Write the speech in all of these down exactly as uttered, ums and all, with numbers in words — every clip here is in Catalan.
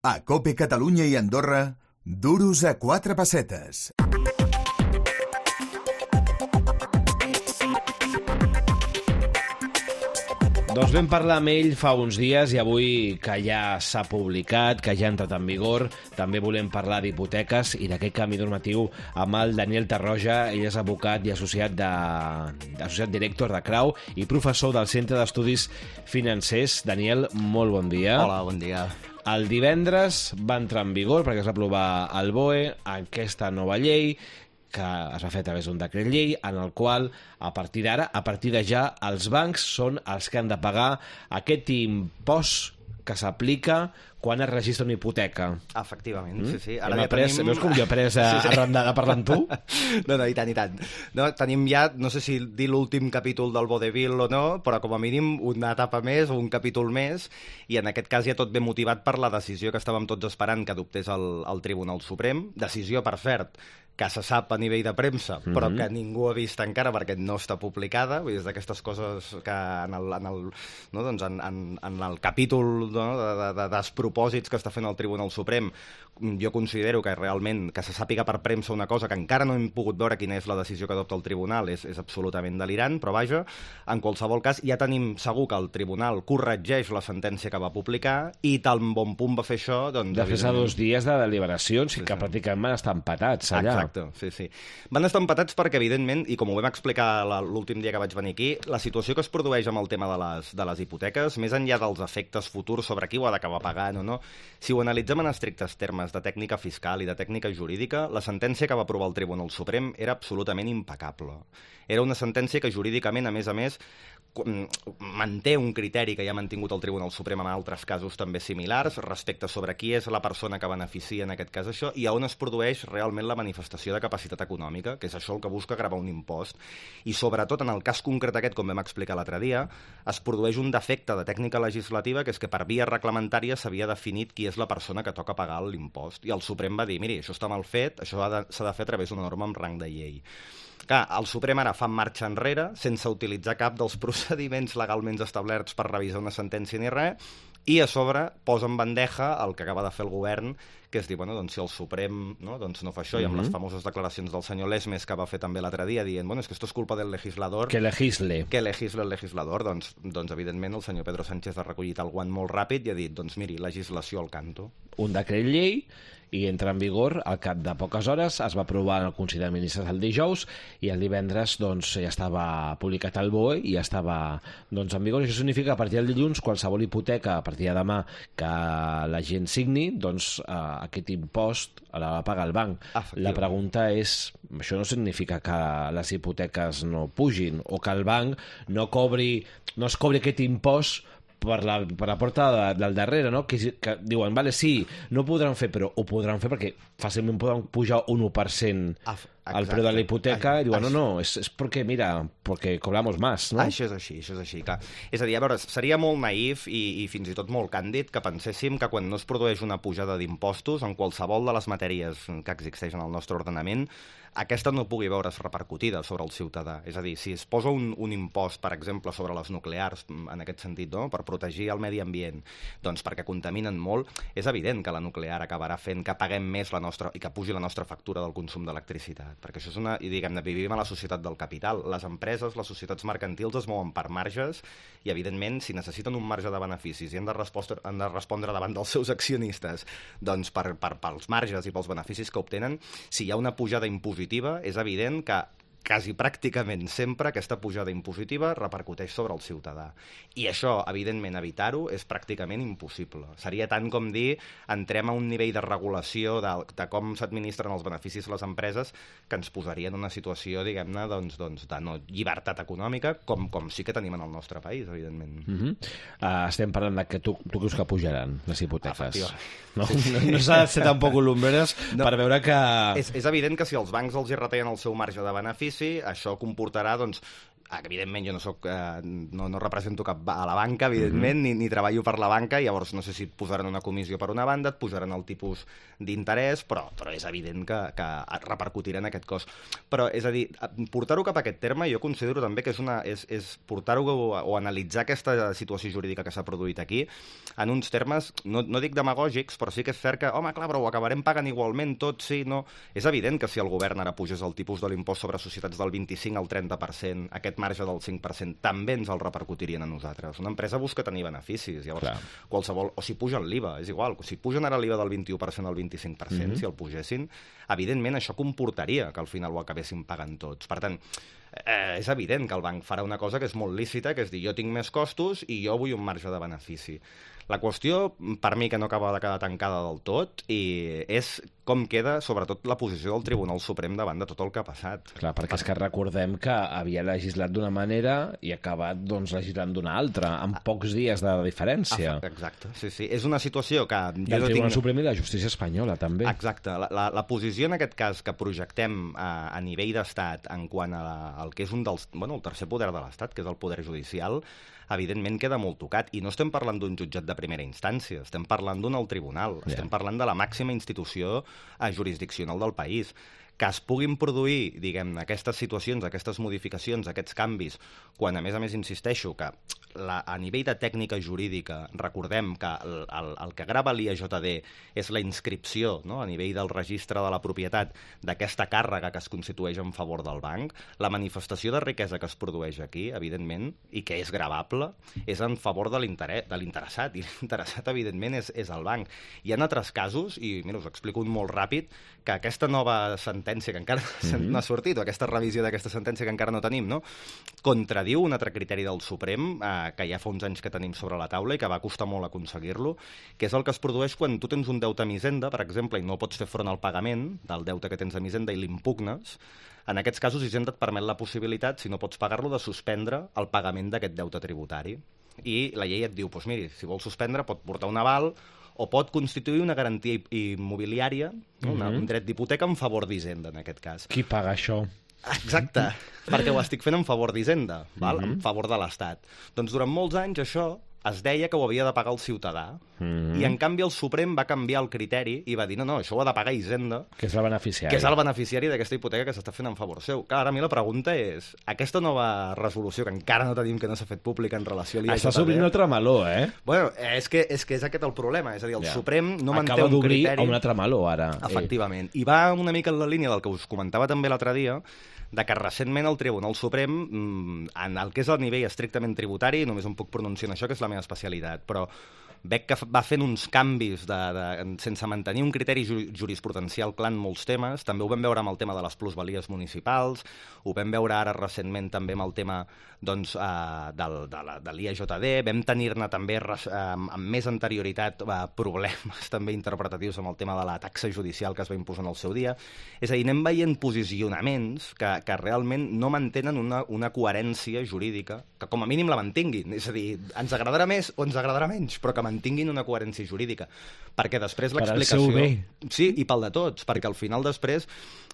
A COPE Catalunya i Andorra, duros a quatre pessetes. Doncs vam parlar amb ell fa uns dies i avui que ja s'ha publicat, que ja ha entrat en vigor, també volem parlar d'hipoteques i d'aquest canvi normatiu amb el Daniel Tarroja. Ell és advocat i associat, de, associat director de Crau i professor del Centre d'Estudis Financers. Daniel, molt bon dia. Hola, bon dia. El divendres va entrar en vigor, perquè es va aprovar al B O E, aquesta nova llei, que es va fer a través d'un decret llei, en el qual, a partir d'ara, a partir de ja, els bancs són els que han de pagar aquest impost que s'aplica quan es registra una hipoteca. Efectivament, mm? sí, sí. Ara ja après, tenim... Veus com jo he après a, sí, sí. arrendada parlant tu? No, no, i tant, i tant. No, tenim ja, no sé si dir l'últim capítol del vodevil o no, però com a mínim una etapa més o un capítol més, i en aquest cas ja tot ve motivat per la decisió que estàvem tots esperant que adoptés el, el Tribunal Suprem. Decisió, per cert, que se sap a nivell de premsa, però mm-hmm. que ningú ha vist encara perquè no està publicada. Vull dir, és d'aquestes coses que en el, en el, no, doncs en, en, en el capítol no, de, de, de despropòsits que està fent el Tribunal Suprem, jo considero que realment que se sàpiga per premsa una cosa que encara no hem pogut veure quina és la decisió que adopta el Tribunal és, és absolutament delirant, però vaja, en qualsevol cas ja tenim segur que el Tribunal corregeix la sentència que va publicar i tan bon punt va fer això... Doncs, de fet, a dos dies de deliberacions sí, que sí. pràcticament van estar empatats allà. Exacte, sí, sí. Van estar empatats perquè, evidentment, i com ho vam explicar l'últim dia que vaig venir aquí, la situació que es produeix amb el tema de les, de les hipoteques, més enllà dels efectes futurs sobre qui ho ha d'acabar pagant o no, si ho analitzem en estrictes termes de tècnica fiscal i de tècnica jurídica, la sentència que va aprovar el Tribunal Suprem era absolutament impecable. Era una sentència que jurídicament, a més a més, manté un criteri que ja ha mantingut el Tribunal Suprem en altres casos també similars respecte sobre qui és la persona que beneficia en aquest cas això i on es produeix realment la manifestació de capacitat econòmica, que és això el que busca gravar un impost. I sobretot en el cas concret aquest, com vam explicar l'altre dia, es produeix un defecte de tècnica legislativa que és que per via reglamentària s'havia definit qui és la persona que toca pagar l'impost. I el Suprem va dir, miri, això està mal fet, això s'ha de, de fer a través d'una norma amb rang de llei. Clar, el Suprem ara fa marxa enrere, sense utilitzar cap dels procediments legalment establerts per revisar una sentència ni res, i a sobre posa en bandeja el que acaba de fer el govern, que és dir, bueno, doncs si el Suprem no, doncs no fa això, mm-hmm. i amb les famoses declaracions del senyor Lesmes que va fer també l'altre dia, dient, bueno, és que esto es culpa del legislador... Que legisle. Que legisle el legislador. Doncs, doncs evidentment, el senyor Pedro Sánchez ha recollit el guant molt ràpid i ha dit, doncs miri, legislació al canto. Un decret llei i entra en vigor al cap de poques hores, es va aprovar en el Consell de Ministres el dijous i el divendres doncs, ja estava publicat al B O E i ja estava doncs, en vigor. Això significa que a partir del dilluns qualsevol hipoteca a partir de demà que la gent signi, doncs eh, aquest impost la va pagar el banc. La pregunta és, això no significa que les hipoteques no pugin o que el banc no cobri, no es cobri aquest impost per la, per la porta de, del darrere, no? Que, que diuen, vale, sí, no ho podran fer, però ho podran fer perquè fàcilment poden pujar un u per cent al preu de la hipoteca i diuen, no, no, és, és perquè, mira, perquè cobramos más, no? Això és així, això és així, clar. És a dir, a veure, seria molt naïf i, i fins i tot molt càndid que penséssim que quan no es produeix una pujada d'impostos en qualsevol de les matèries que existeixen al nostre ordenament, aquesta no pugui veure's repercutida sobre el ciutadà. És a dir, si es posa un, un impost, per exemple, sobre les nuclears, en aquest sentit, no? Per protegir el medi ambient, doncs perquè contaminen molt, és evident que la nuclear acabarà fent que paguem més la nostra, i que pugi la nostra factura del consum d'electricitat. Perquè això és una... I diguem-ne, vivim a la societat del capital. Les empreses, les societats mercantils es mouen per marges i, evidentment, si necessiten un marge de beneficis i han de respondre, han de respondre davant dels seus accionistes doncs per, per, pels marges i pels beneficis que obtenen, si hi ha una pujada impositiva, és evident que quasi pràcticament sempre aquesta pujada impositiva repercuteix sobre el ciutadà. I això, evidentment, evitar-ho és pràcticament impossible. Seria tant com dir entrem a un nivell de regulació de, de com s'administren els beneficis a les empreses que ens posaria en una situació, diguem-ne, doncs, doncs, de no llibertat econòmica, com, com sí que tenim en el nostre país, evidentment. Mm-hmm. uh, estem parlant de que tu, tu creus que pujaran les hipoteques. No, sí. no, no s'ha de ser tampoc lumbreres no. per veure que... És, és evident que si els bancs els hi retallen el seu marge de benefici, això comportarà, doncs, evidentment jo no soc, eh, no, no represento cap a la banca, evidentment, mm-hmm. ni, ni treballo per la banca, llavors no sé si et posaran una comissió per una banda, et posaran el tipus d'interès, però, però és evident que, que repercutirà en aquest cost. Però, és a dir, portar-ho cap a aquest terme jo considero també que és, una, és, és portar-ho o, o analitzar aquesta situació jurídica que s'ha produït aquí en uns termes, no, no dic demagògics, però sí que és cert que, home, clar, però ho acabarem pagant igualment tot, sí, no... És evident que si el govern ara pugés el tipus de l'impost sobre societats del vint-i-cinc al trenta per cent, aquest marge del cinc per cent també ens el repercutirien a nosaltres. Una empresa busca tenir beneficis, llavors clar. Qualsevol... O si pugen l'I V A, és igual, si pugen ara l'I V A del vint-i-u per cent al vint-i-cinc per cent, mm-hmm. si el pugessin, evidentment això comportaria que al final ho acabessin pagant tots. Per tant, eh, és evident que el banc farà una cosa que és molt lícita, que és dir, jo tinc més costos i jo vull un marge de benefici. La qüestió, per mi, que no acaba de quedar tancada del tot, i és com queda, sobretot, la posició del Tribunal Suprem davant de tot el que ha passat. Clar, perquè és que recordem que havia legislat d'una manera i ha acabat doncs, legislant d'una altra, amb pocs dies de diferència. Exacte, sí, sí. És una situació que... Del Tribunal tinc... Suprem i la justícia espanyola, també. Exacte. La, la, la posició, en aquest cas, que projectem a, a nivell d'estat en quant a la, al que és un dels... Bueno, el tercer poder de l'estat, que és el poder judicial, evidentment queda molt tocat. I no estem parlant d'un jutjat de primera instància, estem parlant d'un alt tribunal, yeah. estem parlant de la màxima institució jurisdiccional del país. Que es puguin produir, diguem-ne, aquestes situacions, aquestes modificacions, aquests canvis, quan, a més a més, insisteixo, que la, a nivell de tècnica jurídica, recordem que el, el, el que grava l'I A J D és la inscripció, no?, a nivell del registre de la propietat d'aquesta càrrega que es constitueix en favor del banc, la manifestació de riquesa que es produeix aquí, evidentment, i que és gravable, és en favor de l'interessat, i l'interessat, evidentment, és, és el banc. Hi ha altres casos, i mira, us explico un molt ràpid, que aquesta nova sentència que encara mm-hmm. no ha sortit, o aquesta revisió d'aquesta sentència que encara no tenim, no?, contradiu un altre criteri del Suprem, eh, que ja fa uns anys que tenim sobre la taula i que va costar molt aconseguir-lo, que és el que es produeix quan tu tens un deute a Hisenda, per exemple, i no pots fer front al pagament del deute que tens a Hisenda i l'impugnes. En aquests casos, Hisenda et permet la possibilitat, si no pots pagar-lo, de suspendre el pagament d'aquest deute tributari. I la llei et diu, doncs miri, si vols suspendre, pot portar un aval o pot constituir una garantia immobiliària, no? una, mm-hmm. un dret d'hipoteca en favor d'Hisenda, en aquest cas. Qui paga això? Exacte, perquè ho estic fent en favor d'Hisenda, val? Mm-hmm. en favor de l'Estat. Doncs durant molts anys això es deia que ho havia de pagar el ciutadà, mm-hmm. i en canvi el Suprem va canviar el criteri i va dir, no, no, això ho ha de pagar Hisenda, que és el beneficiari, que és el beneficiari d'aquesta hipoteca que s'està fent en favor seu. Clar, ara a mi la pregunta és, aquesta nova resolució que encara no tenim, que no s'ha fet pública en relació a l'I A J D... Està obrint un altre meló, eh? Bueno, és que, és que és aquest el problema, és a dir, el ja. Suprem no manté Acaba un criteri... Acaba d'obrir un altre meló, ara. Efectivament. I va una mica en la línia del que us comentava també l'altre dia, de que recentment el Tribunal Suprem, en el que és el nivell estrictament tributari, només em puc pronunciar en això, que és la meva especialitat, però veig que va fent uns canvis de, de, sense mantenir un criteri jurisprudencial clar en molts temes. També ho vam veure amb el tema de les plusvalies municipals, ho vam veure ara recentment també amb el tema doncs, uh, del, de, la, de l'I A J D, vam tenir-ne també uh, amb més anterioritat uh, problemes també interpretatius amb el tema de la taxa judicial que es va imposar en el seu dia. És a dir, anem veient posicionaments que, que realment no mantenen una, una coherència jurídica, que com a mínim la mantinguin. És a dir, ens agradarà més o ens agradarà menys, però que mantinguin una coherència jurídica, perquè després l'explicació... Per al seu bé. Sí, i pel de tots, perquè al final després...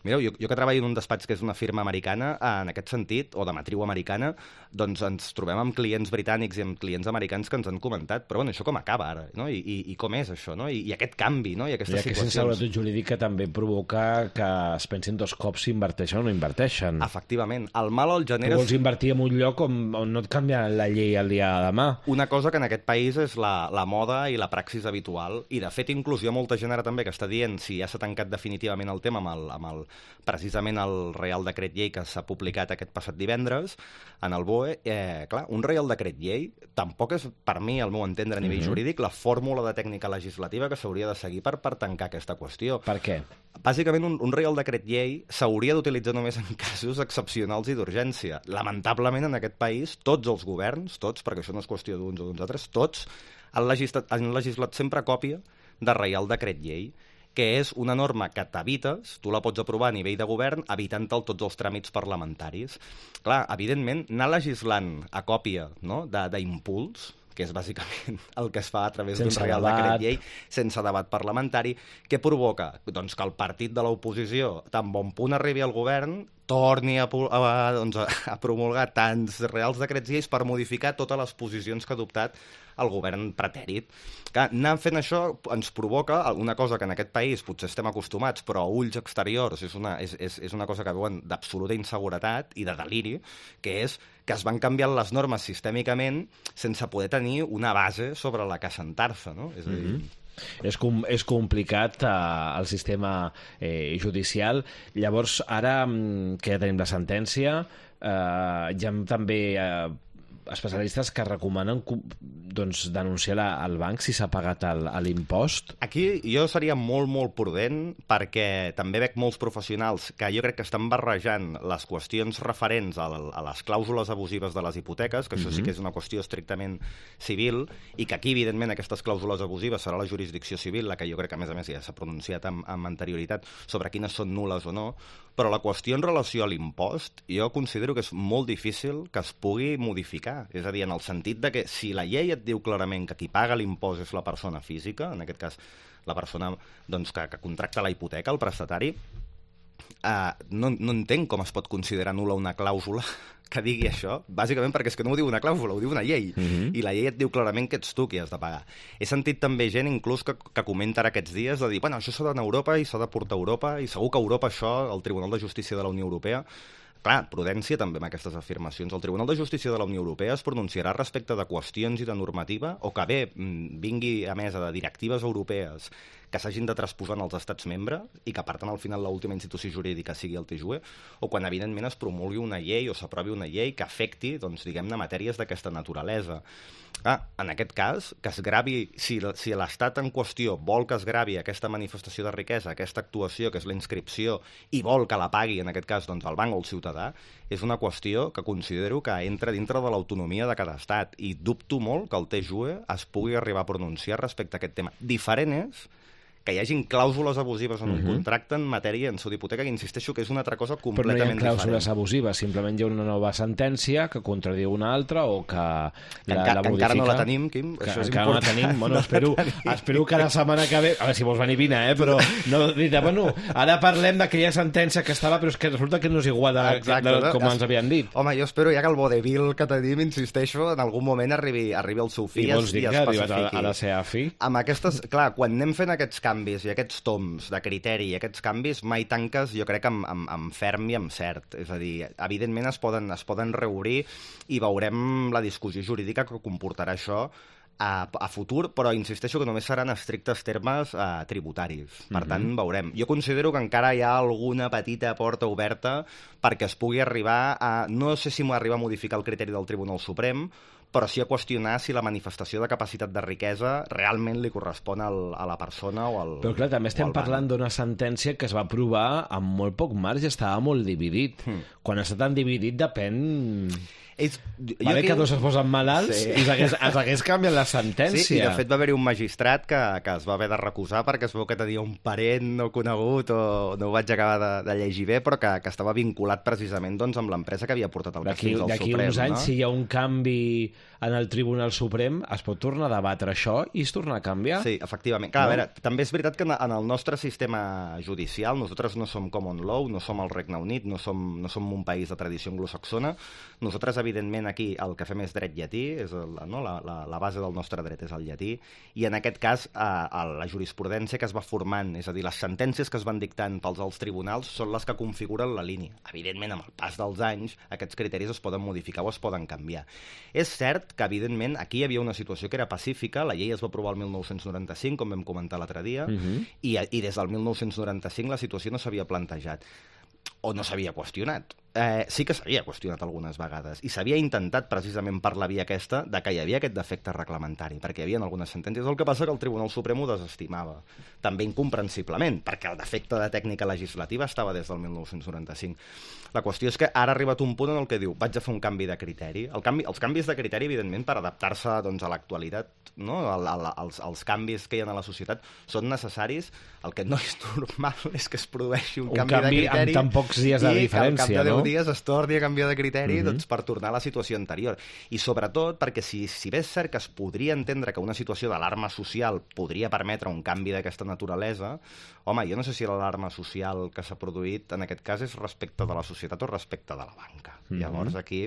Mireu, jo, jo que treballo en un despatx que és una firma americana, en aquest sentit, o de matriu americana, doncs ens trobem amb clients britànics i amb clients americans que ens han comentat, però bueno, això com acaba ara, no? I, i, i com és això, no? I, i aquest canvi, no? I aquestes I aquesta situacions... seguretat jurídica també provoca que es pensin dos cops si inverteixen o no inverteixen. Efectivament. El mal el genera... Tu vols invertir en un lloc on, on no et canvia la llei el dia de demà. Una cosa que en aquest país és la, la moda i la praxis habitual, i de fet inclús hi ha molta gent ara també que està dient si ja s'ha tancat definitivament el tema amb el, amb el precisament el Reial Decret Llei que s'ha publicat aquest passat divendres en el B O E. Eh, clar, un Reial Decret Llei tampoc és, per mi, al meu entendre a nivell mm-hmm. jurídic, la fórmula de tècnica legislativa que s'hauria de seguir per, per tancar aquesta qüestió. Per què? Bàsicament, un, un Reial Decret Llei s'hauria d'utilitzar només en casos excepcionals i d'urgència. Lamentablement, en aquest país, tots els governs, tots, perquè això no és qüestió d'uns o d'uns altres, tots han legislat, han legislat sempre còpia de Reial Decret Llei, que és una norma que t'evites, tu la pots aprovar a nivell de govern, evitant-te'l tots els tràmits parlamentaris. Clar, evidentment, anar legislant a còpia, no?, d'impuls, que és bàsicament el que es fa a través d'un Sense Real debat. Decret Llei, sense debat parlamentari, que provoca doncs, que el partit de l'oposició, tan bon punt arribi al govern, torni a, pu- a, doncs, a, a promulgar tants Reals Decrets Lleis per modificar totes les posicions que ha adoptat el govern pretèrit. Que anar fent això ens provoca una cosa que en aquest país potser estem acostumats, però a ulls exteriors és una, és, és, és una cosa que veuen d'absoluta inseguretat i de deliri, que és que es van canviant les normes sistèmicament sense poder tenir una base sobre la que assentar-se, no? És a dir... Mm-hmm. És, com, és complicat eh, el sistema eh, judicial. Llavors, ara mm, que ja tenim la sentència, eh, hi ha també eh, especialistes que recomanen doncs, denunciar la, al banc si s'ha pagat el- l'impost. Aquí jo seria molt, molt prudent perquè també veig molts professionals que jo crec que estan barrejant les qüestions referents a, a les clàusules abusives de les hipoteques, que això sí que és una qüestió estrictament civil, i que aquí, evidentment, aquestes clàusules abusives serà la jurisdicció civil, la que jo crec que, a més a més, ja s'ha pronunciat amb, amb anterioritat sobre quines són nules o no, però la qüestió en relació a l'impost jo considero que és molt difícil que es pugui modificar. És a dir, en el sentit de que si la llei et diu clarament que qui paga l'impost és la persona física, en aquest cas la persona doncs, que, que contracta la hipoteca, el prestatari, eh, no, no entenc com es pot considerar nul·la una clàusula que digui això, bàsicament perquè és que no ho diu una clàusula, ho diu una llei, Mhm. i la llei et diu clarament que ets tu qui has de pagar. He sentit també gent inclús que, que comenta ara aquests dies de dir, bueno, això s'ha d'anar a Europa i s'ha de portar a Europa, i segur que a Europa això, el Tribunal de Justícia de la Unió Europea, clar, prudència també amb aquestes afirmacions. El Tribunal de Justícia de la Unió Europea es pronunciarà respecte de qüestions i de normativa o que bé mm, vingui a mesa de directives europees que s'hagin de transposar als estats membres i que, per tant, al final l'última institució jurídica sigui el T J U E, o quan, evidentment, es promulgui una llei o s'aprovi una llei que afecti, doncs, diguem-ne, matèries d'aquesta naturalesa. Ah, en aquest cas, que es gravi, si, si l'Estat en qüestió vol que es gravi aquesta manifestació de riquesa, aquesta actuació, que és la inscripció, i vol que la pagui, en aquest cas, doncs, el banc o el ciutadà, és una qüestió que considero que entra dintre de l'autonomia de cada estat, i dubto molt que el T J U E es pugui arribar a pronunciar respecte a aquest tema. Diferent és que hi hagin clàusules abusives en un Mhm. contracte en matèria en su d'hipoteca, que insisteixo que és una altra cosa Però no hi ha completament clàusules diferent. abusives, simplement hi ha una nova sentència que contradiu una altra o que la, Que, enca la que modifica. encara no la tenim, Quim, Que això és encara no la important. tenim. Bueno, espero, espero que la setmana que ve... A veure, si vols venir, vine, eh? Però no diré, bueno, ara parlem d'aquella sentència que estava, però és que resulta que no és igual de, Exacte, de, no? com ens havien dit. Home, jo espero ja que el vodevil que tenim, insisteixo, en algun moment arribi, arribi al seu fi I vols dir i que es ha arribat a, pacifiqui. a la seva fi? Amb aquestes, clar, quan anem fent aquests canvis i aquests toms de criteri i aquests canvis, mai tanques, jo crec, amb, amb, amb ferm i amb cert. És a dir, evidentment es poden, es poden reobrir i veurem la discussió jurídica que comportarà això a, a futur, però insisteixo que només seran estrictes termes eh, tributaris. Per tant, veurem. Jo considero que encara hi ha alguna petita porta oberta perquè es pugui arribar a... No sé si m'arriba a modificar el criteri del Tribunal Suprem, però sí a qüestionar si la manifestació de capacitat de riquesa realment li correspon al, a la persona o al... Però clar, també o estem al banc. parlant d'una sentència que es va aprovar amb molt poc marge, estava molt dividit. Hmm. Quan està tan dividit depèn... És, jo Vale aquí- que dos es posen malalts Sí. i s'hagués s'hagués canviat la sentència. Sí, i de fet va haver-hi un magistrat que, que es va haver de recusar perquè es veu que tenia un parent no conegut o no ho vaig acabar de, de llegir bé, però que, que estava vinculat precisament doncs, amb l'empresa que havia portat el cas D'aquí fins al d'aquí Suprem. uns anys, no? si hi ha un canvi en el Tribunal Suprem, es pot tornar a debatre això i es torna a canviar? Sí, efectivament. Clar, No? a veure, també és veritat que en en el nostre sistema judicial nosaltres no som common law, no som el Regne Unit, no som, no som un país de tradició anglosaxona. Nosaltres, evidentment, aquí el que fem és dret llatí, és el, no? la, la, la base del nostre dret és el llatí, i en aquest cas eh, la jurisprudència que es va formant, és a dir, les sentències que es van dictant pels alts tribunals són les que configuren la línia. Evidentment, amb el pas dels anys, aquests criteris es poden modificar o es poden canviar. És cert que, evidentment, aquí hi havia una situació que era pacífica, la llei es va aprovar el mil nou-cents noranta-cinc, com vam comentar l'altre dia, Mhm. i, i des del mil nou-cents noranta-cinc la situació no s'havia plantejat o no s'havia qüestionat. Eh, sí que s'havia qüestionat algunes vegades i s'havia intentat precisament per la via aquesta de que hi havia aquest defecte reglamentari, perquè hi havia algunes sentències. El que passa que el Tribunal Suprem ho desestimava, també incomprensiblement, perquè el defecte de tècnica legislativa estava des del mil nou-cents noranta-cinc. La qüestió és que ara ha arribat un punt en el que diu vaig a fer un canvi de criteri. El canvi, els canvis de criteri, evidentment, per adaptar-se doncs, a l'actualitat, no? el, el, els, els canvis que hi ha a la societat són necessaris. El que no és normal és que es produeixi un, Un canvi, canvi de criteri amb tan pocs dies de i diferència, que al cap de deu no? dies es torni a canviar de criteri mm-hmm. doncs, per tornar a la situació anterior. I sobretot perquè si, si bé és cert que es podria entendre que una situació d'alarma social podria permetre un canvi d'aquesta naturalesa, home, jo no sé si l'alarma social que s'ha produït en aquest cas és respecte de la societat o respecte de la banca. Mm-hmm. Llavors aquí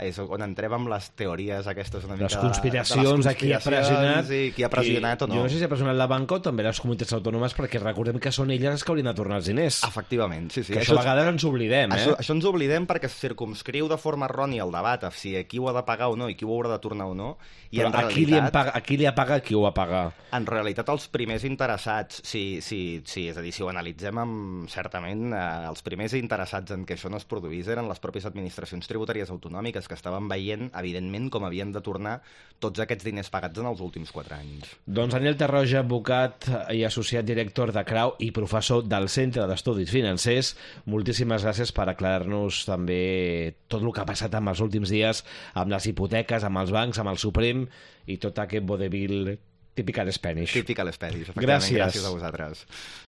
és on entrem amb les teories aquestes una mica... Les conspiracions, de, de les conspiracions qui ha pressionat... I qui ha pressionat i, o no. Jo no sé si ha pressionat la banca o també les comunitats autònomes, perquè recordem que són elles les que haurien de tornar els diners. Efectivament, sí, sí. Que això, això a vegades ens oblidem, eh? Això, això ens oblidem perquè es circumscriu de forma errònia el debat a si qui ho ha de pagar o no i qui ho haurà de tornar o no. I Però en a, realitat, qui li paga, a qui li ha pagat, qui ho ha pagat? En realitat, els primers interessats, sí, sí, sí, és a dir, si ho analitzem amb, certament, eh, els primers interessats en que això no es produís eren les pròpies administracions tributàries autonòmiques que estaven veient, evidentment, com havien de tornar tots aquests diners pagats en els últims quatre anys. Doncs Daniel Tarroja, advocat i associat director de Crau i professor del Centre d'Estudis Financers, moltíssimes gràcies per aclarar-nos també tot el que ha passat en els últims dies amb les hipoteques, amb els bancs, amb el Suprem i tot aquest vodevil típic a l'Spanish. Típic a l'Spanish, efectivament. Gràcies. Gràcies a vosaltres.